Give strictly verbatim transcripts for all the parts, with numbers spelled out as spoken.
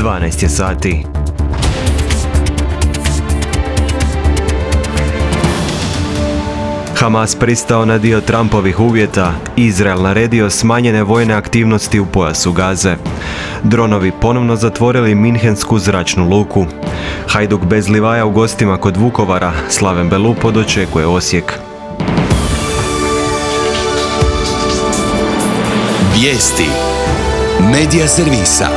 dvanaest je sati. Hamas pristao na dio Trumpovih uvjeta, Izrael naredio smanjene vojne aktivnosti u pojasu Gaze. Dronovi ponovno zatvorili Minhensku zračnu luku. Hajduk bez Livaja u gostima kod Vukovara, Slaven Belupo dočekuje Osijek. Vijesti Medija servisa.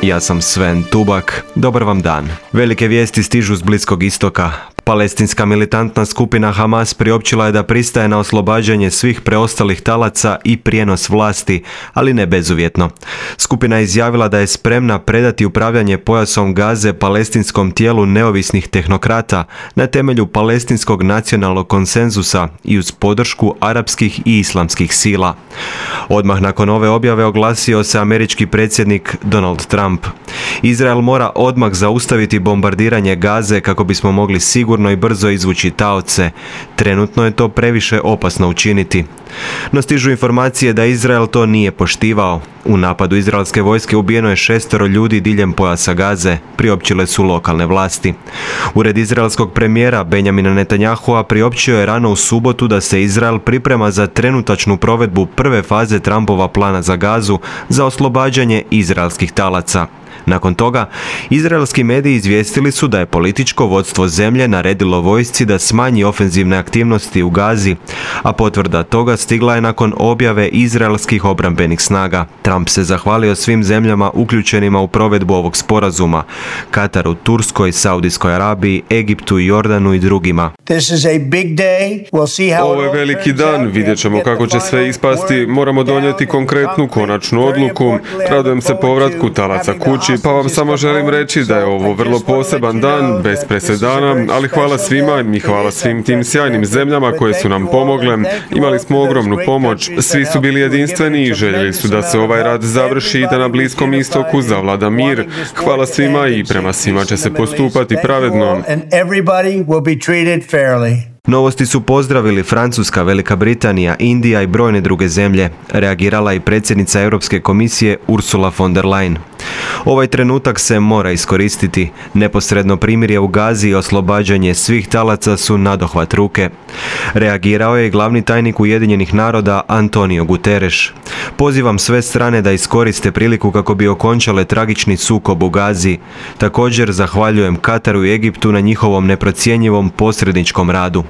Ja sam Sven Tubak. Dobar vam dan. Velike vijesti stižu s Bliskog istoka. Palestinska militantna skupina Hamas priopćila je da pristaje na oslobađanje svih preostalih talaca i prijenos vlasti, ali ne bezuvjetno. Skupina je izjavila da je spremna predati upravljanje pojasom Gaze palestinskom tijelu neovisnih tehnokrata na temelju palestinskog nacionalnog konsenzusa i uz podršku arapskih i islamskih sila. Odmah nakon ove objave oglasio se američki predsjednik Donald Trump. Izrael mora odmah zaustaviti bombardiranje Gaze kako bismo mogli sigurno i brzo izvući taoce. Trenutno je to previše opasno učiniti. No stižu informacije da Izrael to nije poštivao. U napadu izraelske vojske ubijeno je šestero ljudi diljem pojasa Gaze, priopćile su lokalne vlasti. Ured izraelskog premijera Benjamina Netanyahua priopćio je rano u subotu da se Izrael priprema za trenutačnu provedbu prve faze Trumpova plana za Gazu za oslobađanje izraelskih talaca. Nakon toga, izraelski mediji izvijestili su da je političko vodstvo zemlje naredilo vojsci da smanji ofenzivne aktivnosti u Gazi, a potvrda toga stigla je nakon objave izraelskih obrambenih snaga. Trump se zahvalio svim zemljama uključenima u provedbu ovog sporazuma: Kataru, Turskoj, Saudijskoj Arabiji, Egiptu, Jordanu i drugima. Ovo je veliki dan, vidjet ćemo kako će sve ispasti, moramo donijeti konkretnu konačnu odluku. Radujem se povratku talaca kući, pa vam samo želim reći da je ovo vrlo poseban dan, bez presedana, ali hvala svima i hvala svim tim sjajnim zemljama koje su nam pomogle. Imali smo ogromnu pomoć, svi su bili jedinstveni i željeli su da se ovaj rat završi i da na Bliskom istoku zavlada mir. Hvala svima i prema svima će se postupati pravedno. Novosti su pozdravili Francuska, Velika Britanija, Indija i brojne druge zemlje. Reagirala i predsjednica Europske komisije Ursula von der Leyen. Ovaj trenutak se mora iskoristiti. Neposredno primirje u Gazi i oslobađanje svih talaca su nadohvat ruke. Reagirao je i glavni tajnik Ujedinjenih naroda Antonio Guterres. Pozivam sve strane da iskoriste priliku kako bi okončale tragični sukob u Gazi. Također zahvaljujem Kataru i Egiptu na njihovom neprocjenjivom posredničkom radu.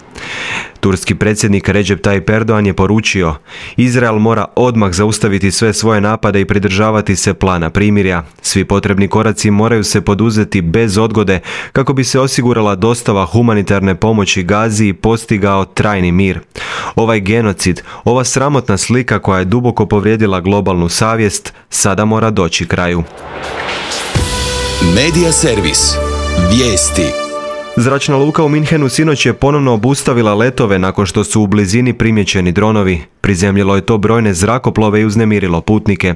Turski predsjednik Recep Tayyip Erdogan je poručio: Izrael mora odmah zaustaviti sve svoje napade i pridržavati se plana primirja. Svi potrebni koraci moraju se poduzeti bez odgode kako bi se osigurala dostava humanitarne pomoći Gazi i postigao trajni mir. Ovaj genocid, ova sramotna slika koja je duboko povrijedila globalnu savjest, sada mora doći kraju. Medija servis. Vijesti. Zračna luka u Minhenu sinoć je ponovno obustavila letove nakon što su u blizini primijećeni dronovi. Prizemljilo je to brojne zrakoplove i uznemirilo putnike.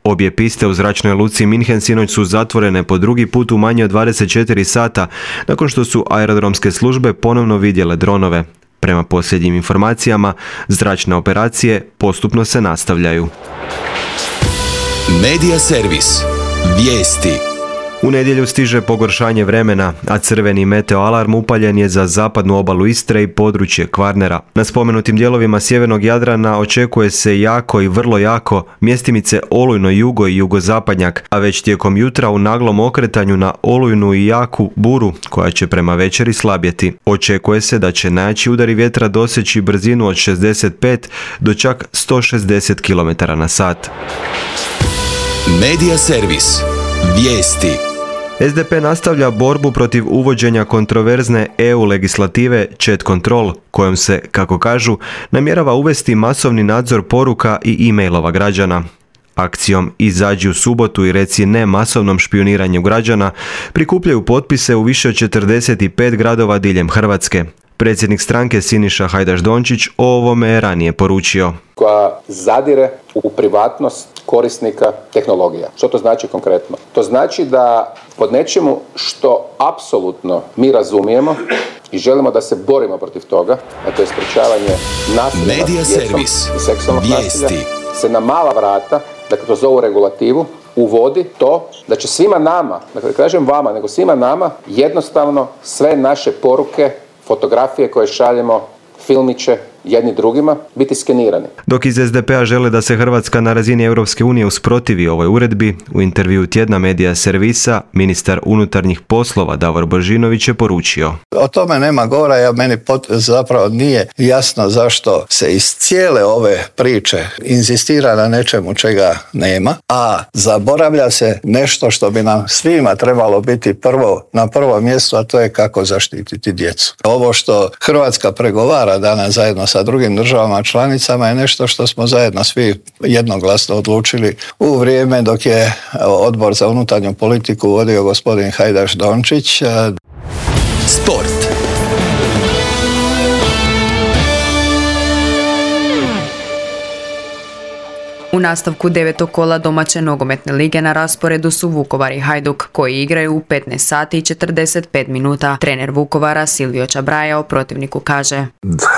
Obje piste u zračnoj luci Minhen sinoć su zatvorene po drugi put u manje od dvadeset četiri sata nakon što su aerodromske službe ponovno vidjele dronove. Prema posljednjim informacijama, zračne operacije postupno se nastavljaju. Medija servis. Vijesti. U nedjelju stiže pogoršanje vremena, a crveni meteo alarm upaljen je za zapadnu obalu Istre i područje Kvarnera. Na spomenutim dijelovima sjevernog Jadrana očekuje se jako i vrlo jako, mjestimice olujno jugo i jugozapadnjak, a već tijekom jutra u naglom okretanju na olujnu i jaku buru koja će prema večeri slabjeti. Očekuje se da će najjači udari vjetra doseći brzinu od šezdeset pet do čak sto šezdeset kilometara na sat. Medija servis. Vijesti. S D P nastavlja borbu protiv uvođenja kontroverzne E U legislative Chat Control, kojom se, kako kažu, namjerava uvesti masovni nadzor poruka i e-mailova građana. Akcijom Izađi u subotu i reci ne masovnom špioniranju građana prikupljaju potpise u više od četrdeset pet gradova diljem Hrvatske. Predsjednik stranke Siniša Hajdaš Dončić o ovome je ranije poručio. Koja zadire u privatnost korisnika tehnologija. Što to znači konkretno? To znači da pod nečemu što apsolutno mi razumijemo i želimo da se borimo protiv toga, a to je sprečavanje nasilja nad djecom i seksualnog nasilja, se na mala vrata, dakle kroz ovu regulativu, uvodi to da će svima nama, dakle kažem vama, nego svima nama jednostavno sve naše poruke, fotografije koje šaljemo, filmiće jedni drugima biti skenirani. Dok iz es de pe a žele da se Hrvatska na razini Europske unije usprotivi ovoj uredbi, u intervju tjedna Medija servisa ministar unutarnjih poslova Davor Božinović je poručio: O tome nema govora, ja meni pot, zapravo nije jasno zašto se iz cijele ove priče inzistira na nečemu čega nema, a zaboravlja se nešto što bi nam svima trebalo biti prvo na prvom mjestu, a to je kako zaštititi djecu. Ovo što Hrvatska pregovara danas zajedno sa drugim državama članicama je nešto što smo zajedno svi jednoglasno odlučili u vrijeme dok je Odbor za unutarnju politiku vodio gospodin Hajdaš Dončić. Sport. U nastavku devetog kola domaće nogometne lige na rasporedu su Vukovar i Hajduk, koji igraju u petnaest sati i četrdeset pet minuta. Trener Vukovara Silvio Čabraja o protivniku kaže: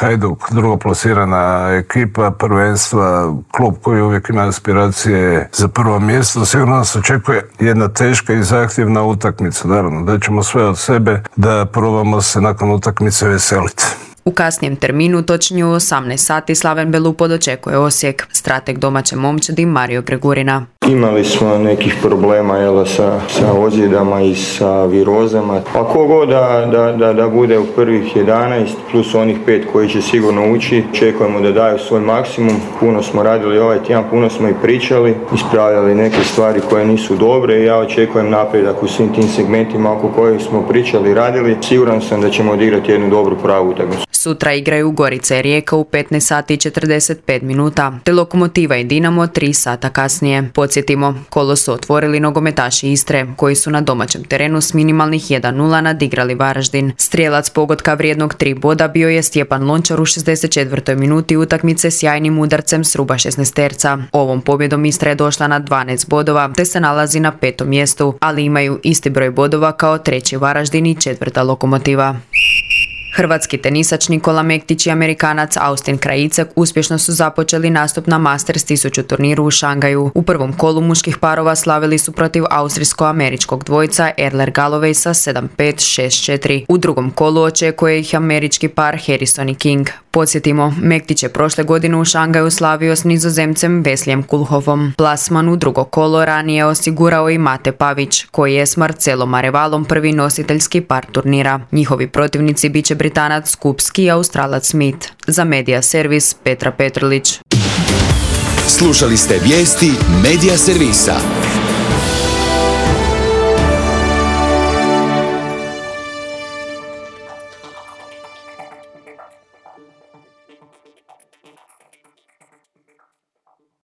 Hajduk, drugoplasirana ekipa prvenstva, klub koji uvijek ima aspiracije za prvo mjesto. Sigurno nas očekuje jedna teška i zahtjevna utakmica. Naravno, da ćemo sve od sebe da probamo se nakon utakmice veseliti. U kasnijem terminu, točnije u osamnaest sati, Slaven Belupod očekuje Osijek. Strateg domaće momčadi Mario Gregurina: Imali smo nekih problema jel, sa, sa ozljedama i sa virozama. Pa kogo da, da, da, da bude u prvih jedanaest plus onih pet koji će sigurno ući, očekujemo da daju svoj maksimum. Puno smo radili ovaj tjedan, puno smo i pričali, ispravljali neke stvari koje nisu dobre i ja očekujem napredak u svim tim segmentima oko kojih smo pričali i radili. Siguran sam da ćemo odigrati jednu dobru pravu utakmicu. Sutra igraju Gorica i Rijeka u petnaest sati i četrdeset pet minuta, te Lokomotiva i Dinamo tri sata kasnije. Podsjetimo, kolo su otvorili nogometaši Istre, koji su na domaćem terenu s minimalnih jedan nula nadigrali Varaždin. Strijelac pogotka vrijednog tri boda bio je Stjepan Lončar u šezdeset četvrtoj minuti utakmice s jajnim udarcem s ruba šesnaesterca. Ovom pobjedom Istra je došla na dvanaest bodova, te se nalazi na petom mjestu, ali imaju isti broj bodova kao treći Varaždin i četvrta Lokomotiva. Hrvatski tenisač Nikola Mektić i Amerikanac Austin Krajicek uspješno su započeli nastup na Masters tisuću turniru u Šangaju. U prvom kolu muških parova slavili su protiv austrijsko-američkog dvojca Erler Galloway sa sedam pet šest četiri. U drugom kolu očekuje ih američki par Harrison i King. Podsjetimo, Mektić je prošle godine u Šangaju slavio s Nizozemcem Veslijem Kulhovom. Plasman u drugo kolo ranije osigurao i Mate Pavić, koji je s Marcelom Arevalom prvi nositeljski par turnira. Njihovi protivnici bit će Britanac Skupski i Australac Smith. Za Medija servis Petra Petrlić. Slušali ste vijesti Medija servisa.